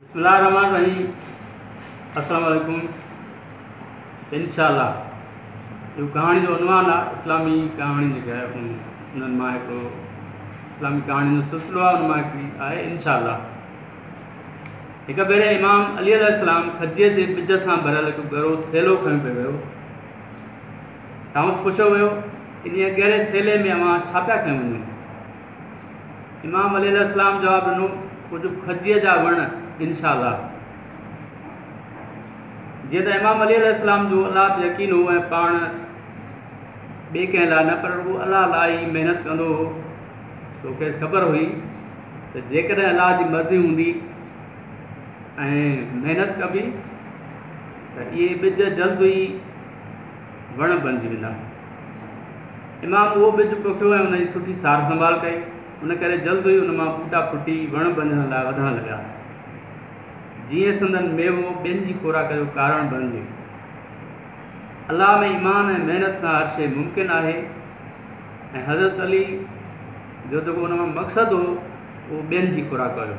بسم الله الرحمن الرحيم السلام عليڪم انشاء الله اهو ڪهاڻي جو عنوان آهي اسلامي ڪهاڻي جيڪا آهي انهن مان هڪڙو اسلامي ڪهاڻي جو سلسلو آهي ان مان هڪڙي آهي انشاء الله هڪ ڀيري امام علي عليه السلام کجيء جي ٻج سان ڀريل هڪ ڳرو ٿيلهو کڻي پئي ويو. کانئس پڇيو ويو، انهيء ڳري ٿيلهي ۾ اوهان ڇا پيا کڻي وڃو؟ امام علي عليه السلام جواب ڏنو، ڪجهه کجيء جا وڻ انشاء الله. جيئن ته امام علي عليه السلام جو الله تي يقين هو ۽ پاڻ ٻئي ڪنهن لاء نه پر رڳو الله لاء ئي محنت ڪندو هو، سو کيس خبر هئي ته جيڪڏهن الله جي مرضي هوندي ۽ محنت ڪبي ته اهي ٻج جلد ئي وڻ بڻجي ويندا. امام اهو ٻج پوکيو ۽ ان جي سٺي سار سنڀال ڪئي، ان ڪري جلد ئي ان مان ٻوٽا ڦٽي وڻ بڻجڻ لاء وڌڻ لڳا، جيئن سندن ميوو ٻين جي خوراڪ جو ڪارڻ بڻجي. الله ۾ ايمان ۽ محنت سان هر شيء ممڪن آهي ۽ حضرت علي جو جيڪو ان مان مقصد هو اهو ٻين جي خوراڪ هيو.